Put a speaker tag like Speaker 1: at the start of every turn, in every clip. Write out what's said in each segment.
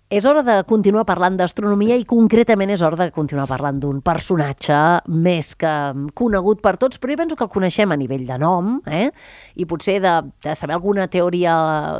Speaker 1: És hora de continuar parlant d'astronomia i concretament és hora de continuar parlant d'un personatge més que conegut per tots, però jo penso que el coneixem a nivell de nom, i potser de saber alguna teoria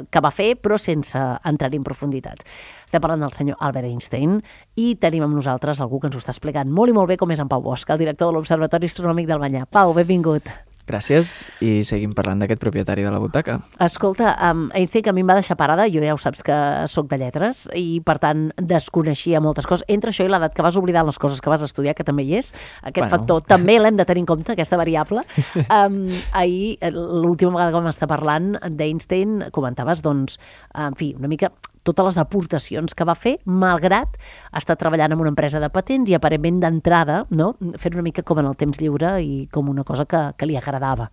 Speaker 1: que va fer, però sense entrar en profunditat. Estem parlant del senyor Albert Einstein i tenim amb nosaltres algú que ens ho està explicant molt i molt bé, com és en Pau Bosch, el director de l'Observatori Astronòmic del Banyà. Pau, benvingut.
Speaker 2: Gràcies, i seguim parlant d'aquest propietari de la butaca.
Speaker 1: Escolta, Einstein, que a mi em va deixar parada, jo ja ho saps que sóc de lletres, i per tant desconeixia moltes coses. Entre això i l'edat que vas oblidar les coses que vas estudiar, que també hi és, aquest factor també l'hem de tenir en compte, aquesta variable. Ahir, l'última vegada que vam estar parlant d'Einstein, comentaves, doncs, en fi, una mica totes les aportacions que va fer, malgrat estar treballant en una empresa de patents i aparentment d'entrada, no? Fer una mica com en el temps lliure i com una cosa que li agradava.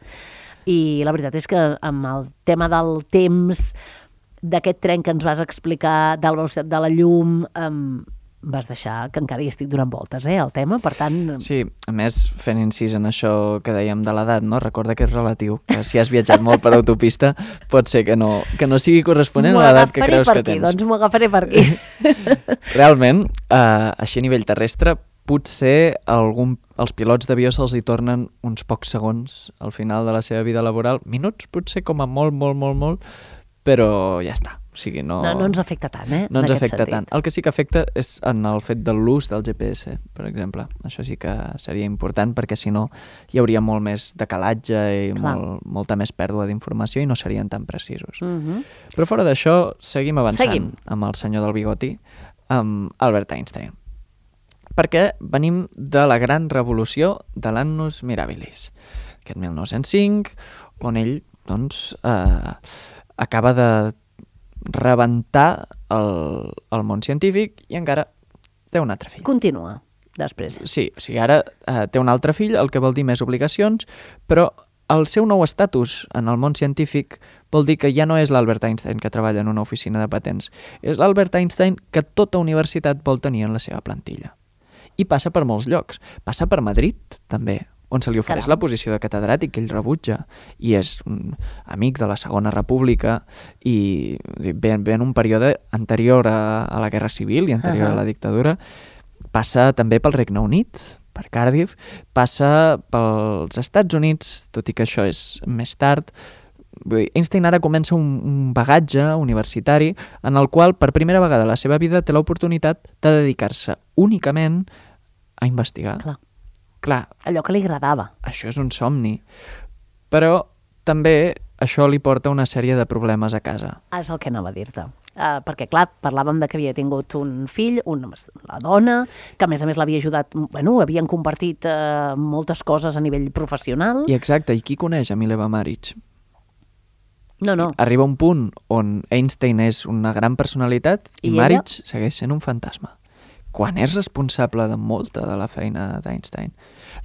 Speaker 1: I la veritat és que amb el tema del temps, d'aquest tren que ens vas explicar, de la velocitat de la llum, vas deixar que encara hi estic donant voltes, el tema, per tant...
Speaker 2: Sí, a més, fent incís en això que dèiem de l'edat, no? Recorda que és relatiu, que si has viatjat molt per autopista, pot ser que no sigui corresponent a l'edat que creus que tens.
Speaker 1: Doncs m'ho agafaré per aquí.
Speaker 2: Realment, així a nivell terrestre, potser els pilots d'avió se'ls hi tornen uns pocs segons al final de la seva vida laboral, minuts, potser com a molt, però ja està. O sigui, no
Speaker 1: ens afecta tant,
Speaker 2: No ens afecta tant. El que sí que afecta és en el fet de l'ús del GPS, per exemple. Això sí que seria important, perquè si no hi hauria molt més decalatge i molta més pèrdua d'informació i no serien tan precisos. Però fora d'això, seguim avançant amb el senyor del bigoti, amb Albert Einstein. Perquè venim de la gran revolució de l'Annus Mirabilis, aquest 1905, on ell, doncs, acaba de rebentar el món científic i encara té un altre fill.
Speaker 1: Continua, després.
Speaker 2: Sí, o sigui, ara té un altre fill, el que vol dir més obligacions, però el seu nou estatus en el món científic vol dir que ja no és l'Albert Einstein que treballa en una oficina de patents, és l'Albert Einstein que tota universitat vol tenir en la seva plantilla. I passa per molts llocs. Passa per Madrid, també, on se li ofereix la posició de catedràtic que ell rebutja, i és un amic de la Segona República i ve en un període anterior a la Guerra Civil i anterior a la dictadura. Passa també pel Regne Unit, per Cardiff, passa pels Estats Units, tot i que això és més tard. Vull dir, Einstein ara comença un bagatge universitari en el qual per primera vegada a la seva vida té l'oportunitat de dedicar-se únicament a investigar. Clar,
Speaker 1: allò que li agradava.
Speaker 2: Això és un somni, però també això li porta una sèrie de problemes a casa.
Speaker 1: És el que anava a dir-te. Perquè, clar, parlàvem de que havia tingut un fill, la dona, que a més l'havia ajudat, havien compartit moltes coses a nivell professional.
Speaker 2: I exacte, i qui coneix a Mileva Maric?
Speaker 1: No.
Speaker 2: Arriba un punt on Einstein és una gran personalitat i Maric segueix sent un fantasma, quan és responsable de molta de la feina d'Einstein.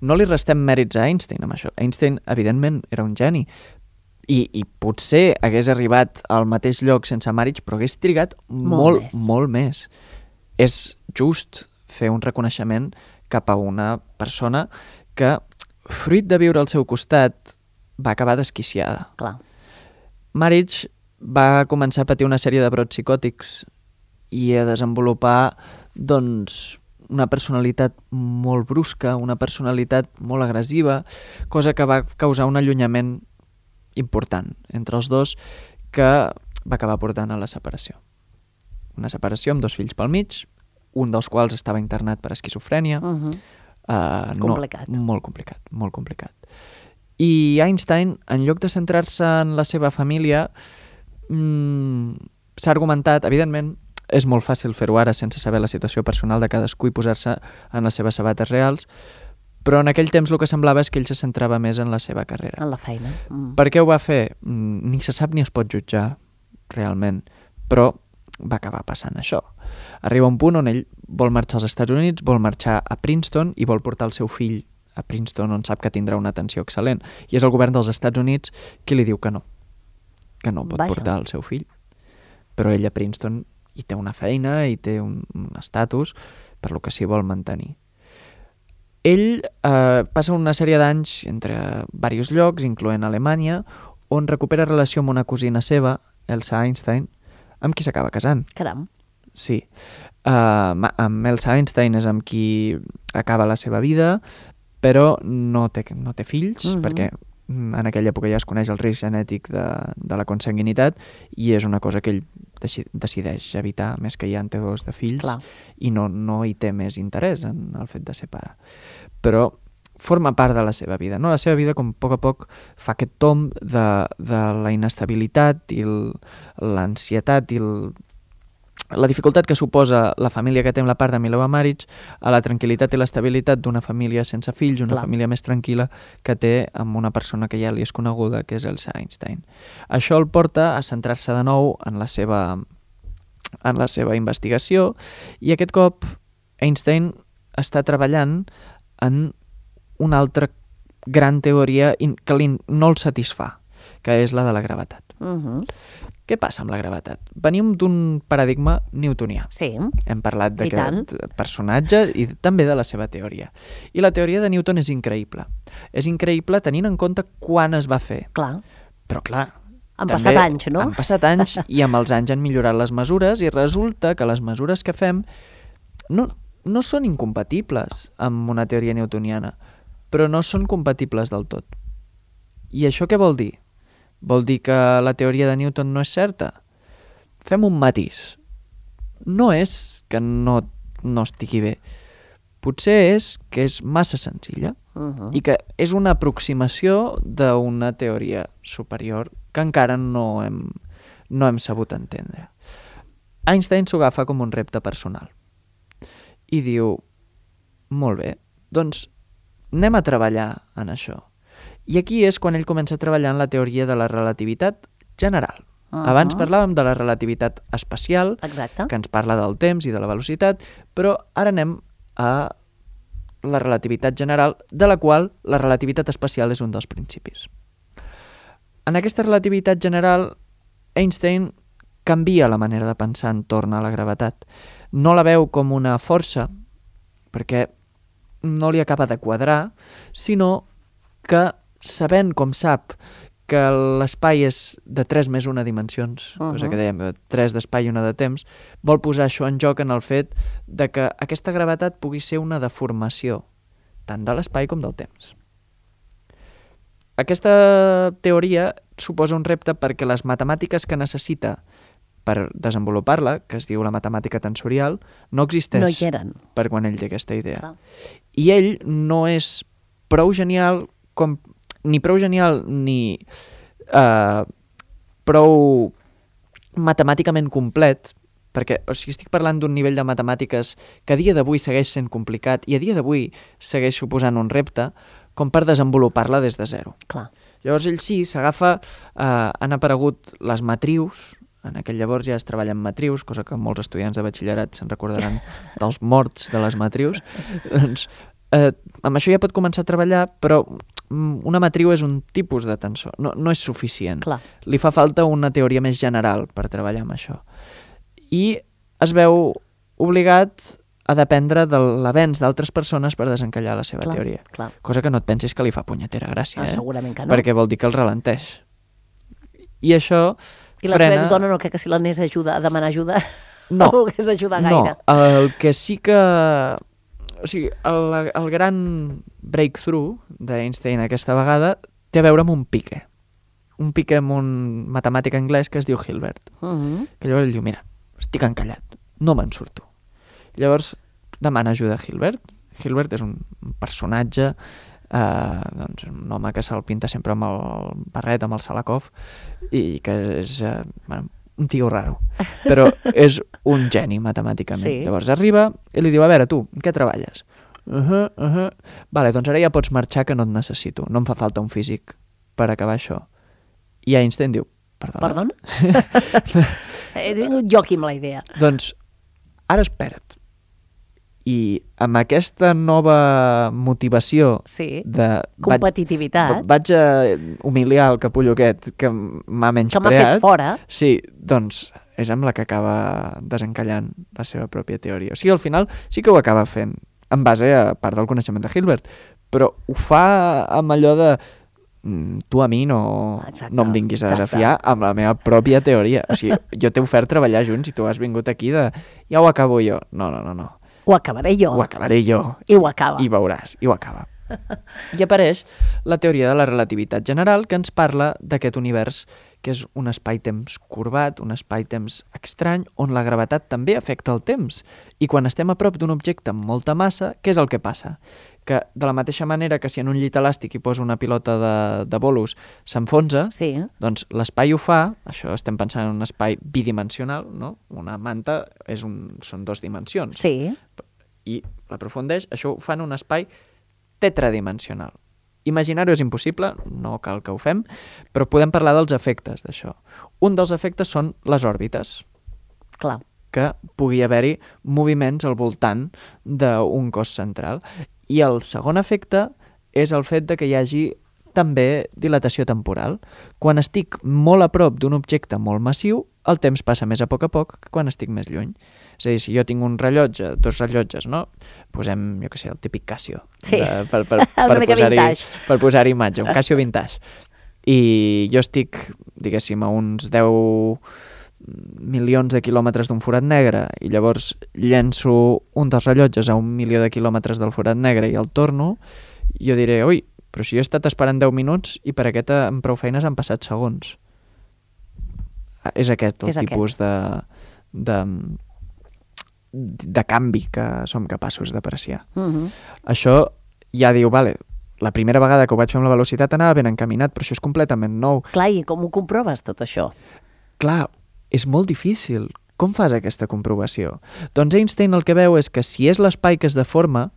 Speaker 2: No li restem mèrits a Einstein amb això. Einstein, evidentment, era un geni i potser hagués arribat al mateix lloc sense Maric, però hagués trigat molt més. És just fer un reconeixement cap a una persona que, fruit de viure al seu costat, va acabar desquiciada.
Speaker 1: Clar.
Speaker 2: Maric va començar a patir una sèrie de brots psicòtics i a desenvolupar, doncs, una personalitat molt brusca, una personalitat molt agressiva, cosa que va causar un allunyament important entre els dos que va acabar portant a la separació. Una separació amb 2 fills pel mig, un dels quals estava internat per esquizofrènia.
Speaker 1: Complicat.
Speaker 2: Molt complicat. I Einstein, en lloc de centrar-se en la seva família, s'ha argumentat, evidentment, és molt fàcil fer-ho ara sense saber la situació personal de cadascú i posar-se en les seves sabates reals, però en aquell temps el que semblava és que ell se centrava més en la seva carrera.
Speaker 1: En la feina.
Speaker 2: Per què ho va fer? Ni se sap ni es pot jutjar, realment, però va acabar passant això. Arriba un punt on ell vol marxar als Estats Units, vol marxar a Princeton i vol portar el seu fill a Princeton, on sap que tindrà una atenció excel·lent. I és el govern dels Estats Units qui li diu que no pot portar el seu fill. Però ell a Princeton hi té una feina, i té un estatus, per lo que s'hi vol mantenir. Ell passa una sèrie d'anys entre diversos llocs, incloent Alemanya, on recupera relació amb una cosina seva, Elsa Einstein, amb qui s'acaba casant.
Speaker 1: Caram.
Speaker 2: sí. Amb Elsa Einstein és amb qui acaba la seva vida, però no té fills, perquè en aquella època ja es coneix el risc genètic de la consanguinitat i és una cosa que ell decideix evitar, més que ja en té 2 de fills.
Speaker 1: Clar.
Speaker 2: I no hi té més interès en el fet de ser pare. Però forma part de la seva vida, no? La seva vida, com a poc fa aquest tomb de la inestabilitat i l'ansietat i la dificultat que suposa la família que té amb la part de Mileva Maric a la tranquil·litat i l'estabilitat d'una família sense fills, una família més tranquil·la que té amb una persona que ja li és coneguda, que és Elsa Einstein. Això el porta a centrar-se de nou en la seva investigació i aquest cop Einstein està treballant en una altra gran teoria que no el satisfà, que és la de la gravetat. Què passa amb la gravetat? Venim d'un paradigma newtonià.
Speaker 1: Sí.
Speaker 2: Hem parlat d'aquest personatge i també de la seva teoria. I la teoria de Newton és increïble. És increïble tenint en compte quan es va fer.
Speaker 1: Clar.
Speaker 2: Però clar,
Speaker 1: han passat anys, no?
Speaker 2: Han passat anys i amb els anys han millorat les mesures i resulta que les mesures que fem no són incompatibles amb una teoria newtoniana, però no són compatibles del tot. I això què vol dir? Vol dir que la teoria de Newton no és certa? Fem un matís. No és que no estigui bé. Potser és que és massa senzilla i que és una aproximació d'una teoria superior que encara no hem sabut entendre. Einstein s'ho agafa com un repte personal i diu, molt bé, doncs anem a treballar en això. I aquí és quan ell comença a treballar en la teoria de la relativitat general. Abans parlàvem de la relativitat espacial,
Speaker 1: exacte,
Speaker 2: que ens parla del temps i de la velocitat, però ara anem a la relativitat general, de la qual la relativitat espacial és un dels principis. En aquesta relativitat general, Einstein canvia la manera de pensar entorn a la gravetat. No la veu com una força, perquè no li acaba de quadrar, sinó que sabent com sap que l'espai és de 3 més 1 dimensions, cosa que dèiem, 3 d'espai i 1 de temps, vol posar això en joc en el fet de que aquesta gravetat pugui ser una deformació, tant de l'espai com del temps. Aquesta teoria suposa un repte perquè les matemàtiques que necessita per desenvolupar-la, que es diu la matemàtica tensorial, no existeix
Speaker 1: no hi eren.
Speaker 2: Per quan ell té aquesta idea.
Speaker 1: Clar.
Speaker 2: I ell no és prou genial ni prou matemàticament complet, perquè estic parlant d'un nivell de matemàtiques que a dia d'avui segueix sent complicat i a dia d'avui segueix suposant un repte com per desenvolupar-la des de zero.
Speaker 1: Clar.
Speaker 2: Llavors ell sí, s'agafa, han aparegut les matrius, en aquell llavors ja es treballa en matrius, cosa que molts estudiants de batxillerat se'n recordaran dels morts de les matrius. Doncs amb això ja pot començar a treballar, però una matriu és un tipus de tensor, no és suficient.
Speaker 1: Clar.
Speaker 2: Li fa falta una teoria més general per treballar amb això. I es veu obligat a dependre de l'avenç d'altres persones per desencallar la seva teoria.
Speaker 1: Clar.
Speaker 2: Cosa que no et pensis que li fa punyetera gràcia,
Speaker 1: segurament que no.
Speaker 2: Perquè vol dir que el ralenteix. I això
Speaker 1: I la seva exdona no crec que si l'anés a demanar ajuda
Speaker 2: no
Speaker 1: volgués ajudar gaire.
Speaker 2: No, el que sí que... O sigui, el gran breakthrough d'Einstein aquesta vegada té a veure amb un pique amb un matemàtic anglès que es diu Hilbert. Que llavors ell diu, mira, estic encallat, no me'n surto. Llavors demana ajuda a Hilbert. Hilbert és un personatge, doncs, un home que se'l pinta sempre amb el barret, amb el Salakov, i que és un tio raro, però és un geni matemàticament.
Speaker 1: Sí.
Speaker 2: Llavors arriba i li diu, a veure, tu, en què treballes? Vale, doncs ara ja pots marxar que no et necessito, no em fa falta un físic per acabar això. I Einstein diu, perdona?
Speaker 1: He vingut jo aquí amb la idea.
Speaker 2: Doncs ara espera't. I amb aquesta nova motivació de...
Speaker 1: competitivitat.
Speaker 2: Vaig a humiliar el capullo aquest que m'ha menyspreat.
Speaker 1: Que m'ha fet fora.
Speaker 2: Sí, doncs és amb la que acaba desencallant la seva pròpia teoria. O sigui, al final sí que ho acaba fent en base a part del coneixement de Hilbert, però ho fa amb allò de tu a mi no em vinguis a desafiar amb la meva pròpia teoria. O sigui, jo t'he ofert treballar junts i tu has vingut aquí de ja ho acabo jo. No.
Speaker 1: Ho acabaré jo.
Speaker 2: Ho acabaré jo.
Speaker 1: I ho acaba.
Speaker 2: I veuràs, i ho acaba. I apareix la teoria de la relativitat general que ens parla d'aquest univers que és un espai-temps corbat, un espai-temps estrany, on la gravetat també afecta el temps. I quan estem a prop d'un objecte amb molta massa, què és el que passa? Que de la mateixa manera que si en un llit elàstic hi poso una pilota de bolos s'enfonsa, doncs l'espai ho fa, això estem pensant en un espai bidimensional, no? Una manta són 2 dimensions.
Speaker 1: Sí.
Speaker 2: I l'aprofundeix, això ho fa en un espai tetradimensional. Imaginar-ho és impossible, no cal que ho fem, però podem parlar dels efectes d'això. Un dels efectes són les òrbites.
Speaker 1: Clar.
Speaker 2: Que pugui haver-hi moviments al voltant d'un cos central. I el segon efecte és el fet de que hi hagi també dilatació temporal. Quan estic molt a prop d'un objecte molt massiu, el temps passa més a poc que quan estic més lluny. És a dir, si jo tinc un rellotge, 2 rellotges, no? Posem, jo què sé, el típic Casio.
Speaker 1: Sí,
Speaker 2: per posar-hi imatge, un Casio vintage. I jo estic, diguéssim, a uns 10 milions de quilòmetres d'un forat negre i llavors llenço un dels rellotges a 1 milió de quilòmetres del forat negre i el torno, jo diré, ui, però si jo he estat esperant 10 minuts i per aquest amb prou feines han passat segons. És aquest el tipus de canvi que som capaços d'apreciar. Això ja diu, vale, la primera vegada que ho vaig fer amb la velocitat anava ben encaminat, però això és completament nou.
Speaker 1: Clar, i com ho comproves tot això?
Speaker 2: Clar, és molt difícil. Com fas aquesta comprovació? Doncs Einstein el que veu és que si és l'espai que es deforma,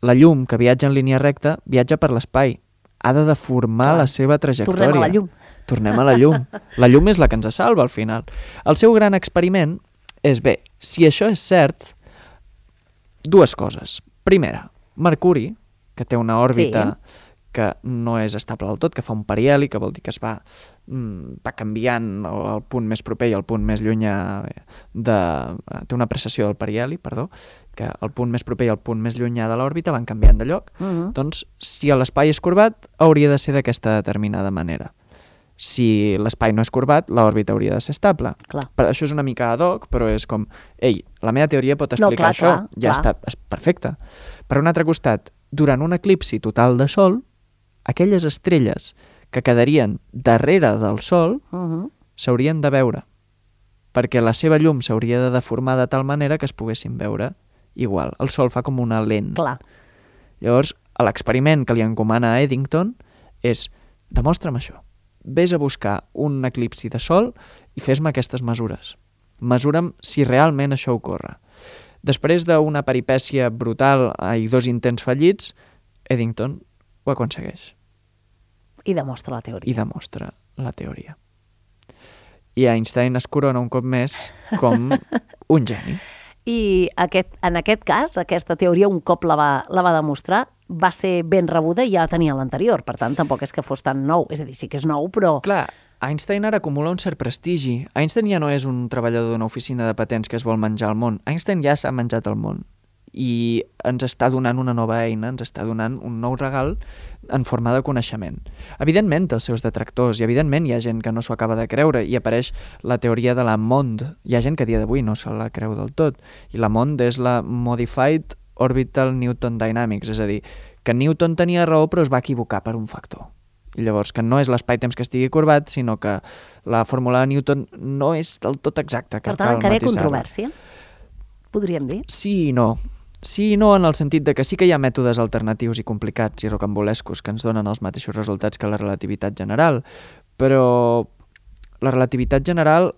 Speaker 2: la llum que viatja en línia recta viatja per l'espai. Ha de deformar la seva trajectòria.
Speaker 1: Tornem a la llum.
Speaker 2: Tornem a la llum. La llum és la que ens salva al final. El seu gran experiment és, bé, si això és cert, 2 coses. Primera, Mercuri, que té una òrbita que no és estable del tot, que fa un periheli, que vol dir que es va canviant el punt més proper i el punt més llunyà té una precessió del periheli, que el punt més proper i el punt més llunyà de l'òrbita van canviant de lloc. Doncs, si l'espai és corbat, hauria de ser d'aquesta determinada manera. Si l'espai no és corbat, l'òrbita hauria de ser estable. Per això és una mica ad hoc, però és com, ei, la meva teoria pot explicar això, ja està, és perfecte. Per un altre costat, durant un eclipsi total de Sol, aquelles estrelles que quedarien darrere del Sol s'haurien de veure, perquè la seva llum s'hauria de deformar de tal manera que es poguessin veure igual. El Sol fa com una lent. Llavors, l'experiment que li encomana a Eddington és, demostra'm això. Ves a buscar un eclipsi de Sol i fes-me aquestes mesures. Mesura'm si realment això ocorre. Després d'una peripècia brutal i 2 intents fallits, Eddington ho aconsegueix.
Speaker 1: I demostra la teoria.
Speaker 2: I demostra la teoria. I Einstein es corona un cop més com un geni.
Speaker 1: I en aquest cas, aquesta teoria, un cop la va demostrar, va ser ben rebuda i ja tenia l'anterior. Per tant, tampoc és que fos tan nou. És a dir, sí que és nou, però...
Speaker 2: Clar, Einstein ara acumula un cert prestigi. Einstein ja no és un treballador d'una oficina de patents que es vol menjar el món. Einstein ja s'ha menjat el món. I ens està donant una nova eina, ens està donant un nou regal en forma de coneixement. Evidentment té els seus detractors i evidentment hi ha gent que no s'ho acaba de creure i apareix la teoria de la MOND. Hi ha gent que a dia d'avui no se la creu del tot i la MOND és la Modified Orbital Newton Dynamics, és a dir, que Newton tenia raó però es va equivocar per un factor. I llavors que no és l'espai-temps que estigui corbat, sinó que la fórmula de Newton no és del tot exacta.
Speaker 1: Per tant, encara hi ha controvèrsia, podríem dir?
Speaker 2: Sí i no. Sí i no, en el sentit de que sí que hi ha mètodes alternatius i complicats i rocambolescos que ens donen els mateixos resultats que la relativitat general, però la relativitat general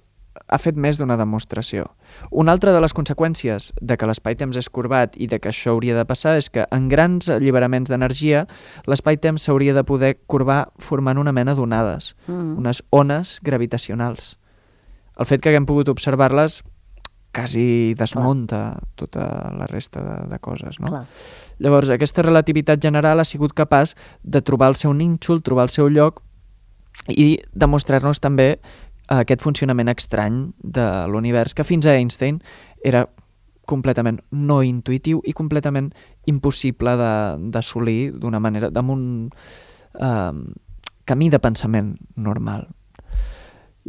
Speaker 2: ha fet més d'una demostració. Una altra de les conseqüències de que l'espai-temps és corbat i de que això hauria de passar és que en grans alliberaments d'energia l'espai-temps s'hauria de poder corbar formant una mena d'onades, unes ones gravitacionals. El fet que haguem pogut observar-les quasi desmunta tota la resta de coses, no? Llavors, aquesta relativitat general ha sigut capaç de trobar el seu nínxol, trobar el seu lloc i demostrar-nos també aquest funcionament estrany de l'univers que fins a Einstein era completament no intuïtiu i completament impossible d'assolir d'una manera, camí de pensament normal.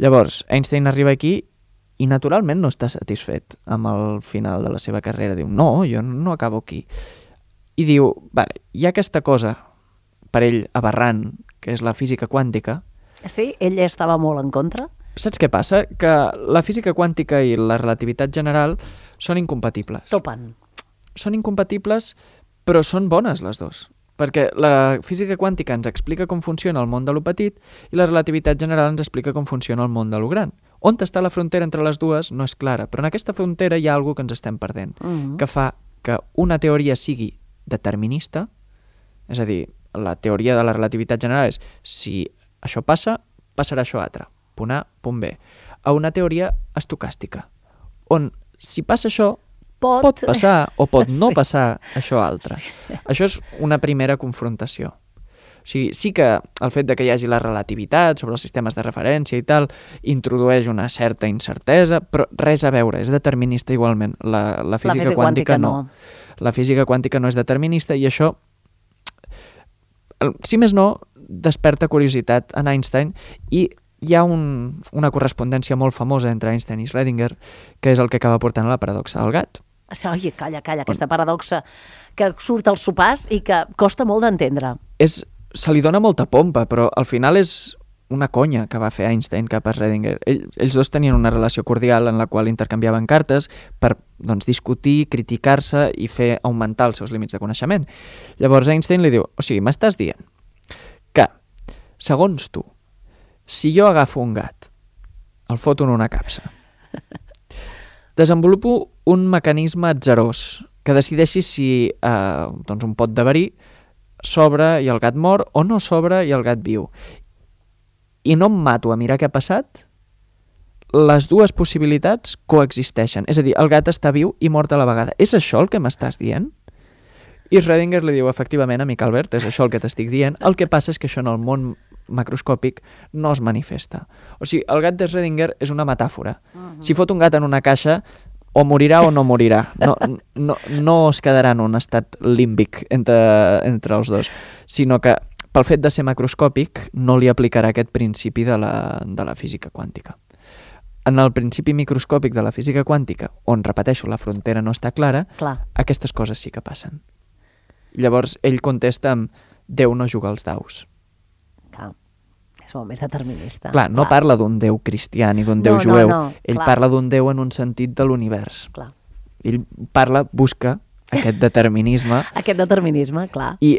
Speaker 2: Llavors, Einstein arriba aquí i naturalment no està satisfet amb el final de la seva carrera. Diu, no, jo no acabo aquí. I diu, vale, hi ha aquesta cosa, per ell aberrant, que és la física quàntica.
Speaker 1: Sí? Ell estava molt en contra?
Speaker 2: Saps què passa? Que la física quàntica i la relativitat general són incompatibles.
Speaker 1: Topen.
Speaker 2: Són incompatibles, però són bones les dues. Perquè la física quàntica ens explica com funciona el món de lo petit i la relativitat general ens explica com funciona el món de lo gran. On està la frontera entre les dues no és clara, però en aquesta frontera hi ha alguna que ens estem perdent, que fa que una teoria sigui determinista, és a dir, la teoria de la relativitat general és si això passa, passarà això altre, punt A, punt B, a una teoria estocàstica, on si passa això, pot passar o pot no passar això altre. Sí. Això és una primera confrontació. O sigui, sí que el fet de que hi hagi la relativitat sobre els sistemes de referència i tal introdueix una certa incertesa, però res a veure, és determinista igualment. La física quàntica no. La física quàntica no és determinista i això, si més no, desperta curiositat en Einstein i hi ha una correspondència molt famosa entre Einstein i Schrödinger, que és el que acaba portant a la paradoxa del gat.
Speaker 1: Oi, calla, aquesta paradoxa que surt als sopars i que costa molt d'entendre.
Speaker 2: Se li dona molta pompa, però al final és una conya que va fer Einstein cap a Schrödinger. Ells dos tenien una relació cordial en la qual intercanviaven cartes per discutir, criticar-se i fer augmentar els seus límits de coneixement. Llavors Einstein li diu, o sigui, m'estàs dient que, segons tu, si jo agafo un gat, el foto en una capsa, desenvolupo un mecanisme atzarós que decideixi si un pot de verí s'obre i el gat mor o no s'obre i el gat viu. I no em mato a mirar què ha passat, les dues possibilitats coexisteixen. És a dir, el gat està viu i mort a la vegada. És això el que m'estàs dient? I Schrödinger li diu, efectivament, amic Albert, és això el que t'estic dient. El que passa és que això en el món macroscòpic no es manifesta. O sigui, el gat de Schrödinger és una metàfora. Si fot un gat en una caixa, o morirà o no morirà. No es quedarà en un estat límbic entre els dos, sinó que pel fet de ser macroscòpic no li aplicarà aquest principi de la física quàntica. En el principi microscòpic de la física quàntica, on, repeteixo, la frontera no està clara, aquestes coses sí que passen. Llavors ell contesta amb Déu no juga als daus.
Speaker 1: Clar. És molt més determinista.
Speaker 2: Clar, no parla d'un Déu cristià ni d'un Déu jueu. Ell parla d'un Déu en un sentit de l'univers.
Speaker 1: Clar.
Speaker 2: Ell busca aquest determinisme.
Speaker 1: Aquest determinisme, clar.
Speaker 2: I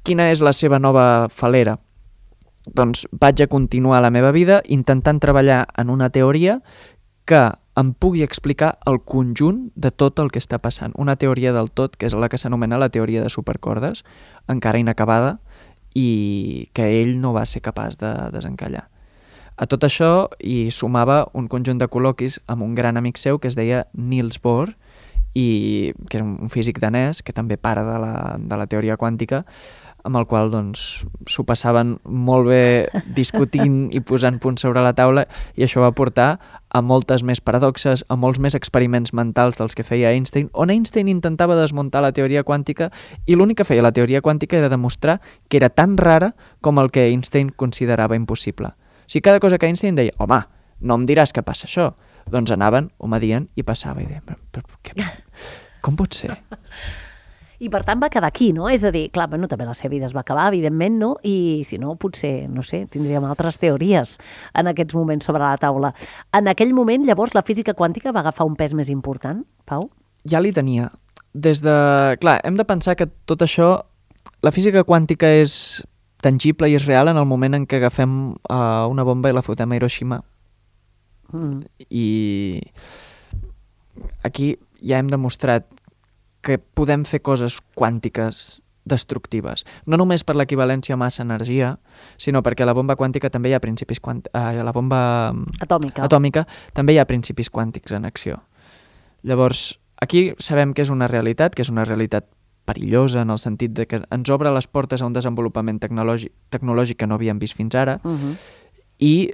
Speaker 2: quina és la seva nova falera? Doncs vaig a continuar la meva vida intentant treballar en una teoria que em pugui explicar el conjunt de tot el que està passant. Una teoria del tot, que és la que s'anomena la teoria de supercordes, encara inacabada, i que ell no va ser capaç de desencallar. A tot això hi sumava un conjunt de col·loquis amb un gran amic seu que es deia Niels Bohr, que era un físic danès que també pare de la teoria quàntica, amb el qual s'ho passaven molt bé discutint i posant punts sobre la taula, i això va portar a moltes més paradoxes, a molts més experiments mentals dels que feia Einstein, on Einstein intentava desmuntar la teoria quàntica i l'únic que feia la teoria quàntica era demostrar que era tan rara com el que Einstein considerava impossible. O sigui, cada cosa que Einstein deia, home, no em diràs que passa això, doncs anaven, ho medien i passava, i deien, com pot ser?
Speaker 1: I per tant va quedar aquí, no? És a dir, clar, també la seva vida es va acabar, evidentment, no? I si no, potser, no sé, tindríem altres teories en aquests moments sobre la taula. En aquell moment, llavors, la física quàntica va agafar un pes més important, Pau?
Speaker 2: Ja l'hi tenia. Clar, hem de pensar que tot això, la física quàntica és tangible i és real en el moment en què agafem una bomba i la fotem a Hiroshima. I aquí ja hem demostrat que podem fer coses quàntiques destructives. No només per l'equivalència massa-energia, sinó perquè a la bomba quàntica també hi ha principis a la bomba atòmica també hi ha principis quàntics en acció. Llavors, aquí sabem que és una realitat perillosa en el sentit de que ens obre les portes a un desenvolupament tecnològic que no havíem vist fins ara i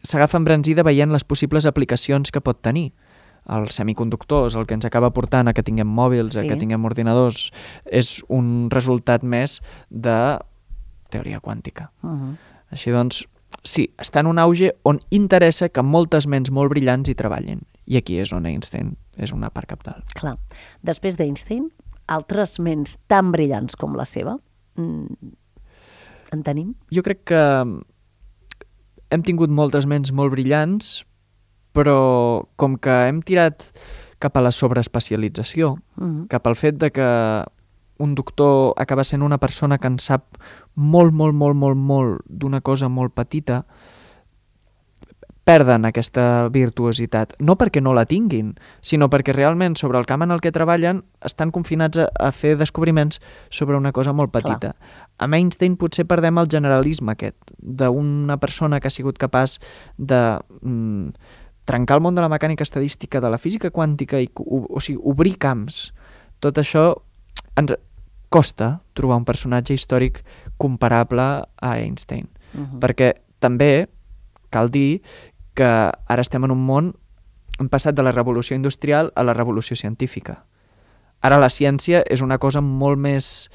Speaker 2: s'agafa embranzida veient les possibles aplicacions que pot tenir. Els semiconductors, el que ens acaba portant a que tinguem mòbils, a que tinguem ordinadors, és un resultat més de teoria quàntica. Així doncs, sí, està en un auge on interessa que moltes ments molt brillants hi treballin. I aquí és on Einstein és una part cabdal.
Speaker 1: Clar. Després d'Einstein, altres ments tan brillants com la seva, en tenim?
Speaker 2: Jo crec que hem tingut moltes ments molt brillants, però com que hem tirat cap a la sobreespecialització, cap al fet de que un doctor acaba sent una persona que en sap molt d'una cosa molt petita, perden aquesta virtuositat. No perquè no la tinguin, sinó perquè realment sobre el camp en el que treballen estan confinats a fer descobriments sobre una cosa molt petita. Clar. Amb Einstein potser perdem el generalisme aquest, d'una persona que ha sigut capaç de trencar el món de la mecànica estadística, de la física quàntica, o sigui, obrir camps. Tot això ens costa trobar un personatge històric comparable a Einstein. Perquè també cal dir que ara estem en un món, hem passat de la revolució industrial a la revolució científica. Ara la ciència és una cosa molt més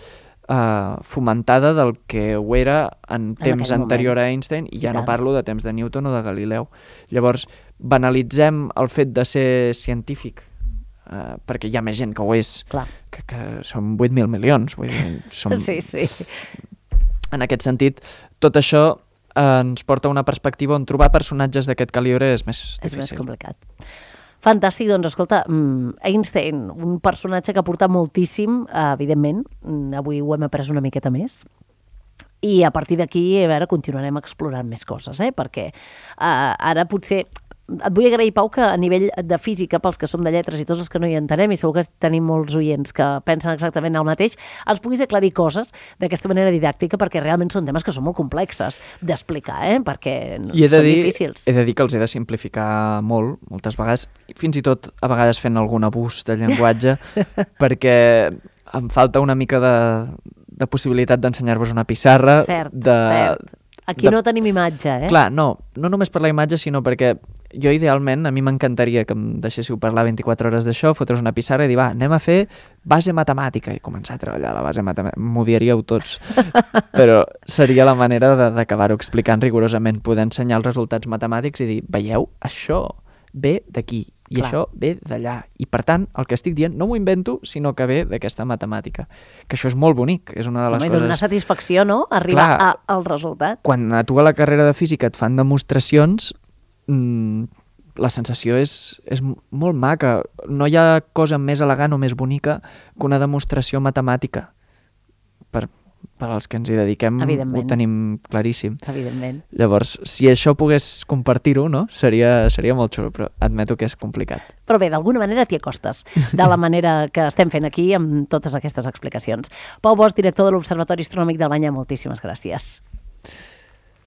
Speaker 2: fomentada del que ho era en temps anterior a Einstein, i ja no parlo de temps de Newton o de Galileu. Llavors, banalitzem el fet de ser científic, perquè hi ha més gent que ho és, que són 8.000 milions. Vull dir,
Speaker 1: Sí.
Speaker 2: En aquest sentit, tot això ens porta a una perspectiva on trobar personatges d'aquest calibre és més difícil.
Speaker 1: És més complicat. Fantàstic, doncs escolta, Einstein, un personatge que ha portat moltíssim, evidentment, avui ho hem après una miqueta més, i a partir d'aquí, a veure, continuarem explorant més coses, perquè ara potser... Et vull agrair, Pau, que a nivell de física, pels que som de lletres i tots els que no hi entenem, i segur que tenim molts oients que pensen exactament el mateix, els puguis aclarir coses d'aquesta manera didàctica, perquè realment són temes que són molt complexes d'explicar, perquè són difícils.
Speaker 2: He de dir que els he de simplificar molt, moltes vegades, fins i tot a vegades fent algun abús de llenguatge, perquè em falta una mica de possibilitat d'ensenyar-vos una pissarra.
Speaker 1: Cert. Aquí no tenim imatge,
Speaker 2: Clar, no només per la imatge, sinó perquè jo idealment, a mi m'encantaria que em deixéssiu parlar 24 hores d'això, fotre's una pissarra i dir, anem a fer base matemàtica, i començar a treballar la base matemàtica. M'ho diríeu tots, però seria la manera d'acabar-ho explicant rigorosament, poder ensenyar els resultats matemàtics i dir, veieu, això ve d'aquí, i això ve d'allà. I per tant, el que estic dient no m'ho invento, sinó que ve d'aquesta matemàtica. Que això és molt bonic, és una de les coses...
Speaker 1: Dona una satisfacció, no?, arribar al resultat.
Speaker 2: Quan a tu a la carrera de física et fan demostracions, la sensació és molt maca. No hi ha cosa més elegant o més bonica que una demostració matemàtica. Per als que ens hi dediquem, ho tenim claríssim.
Speaker 1: Evidentment.
Speaker 2: Llavors, si això pogués compartir-ho, no? Seria molt xulo, però admeto que és complicat.
Speaker 1: Però bé, d'alguna manera t'hi acostes, de la manera que estem fent aquí amb totes aquestes explicacions. Pau Bosch, director de l'Observatori Astronòmic d'Albanya, moltíssimes gràcies.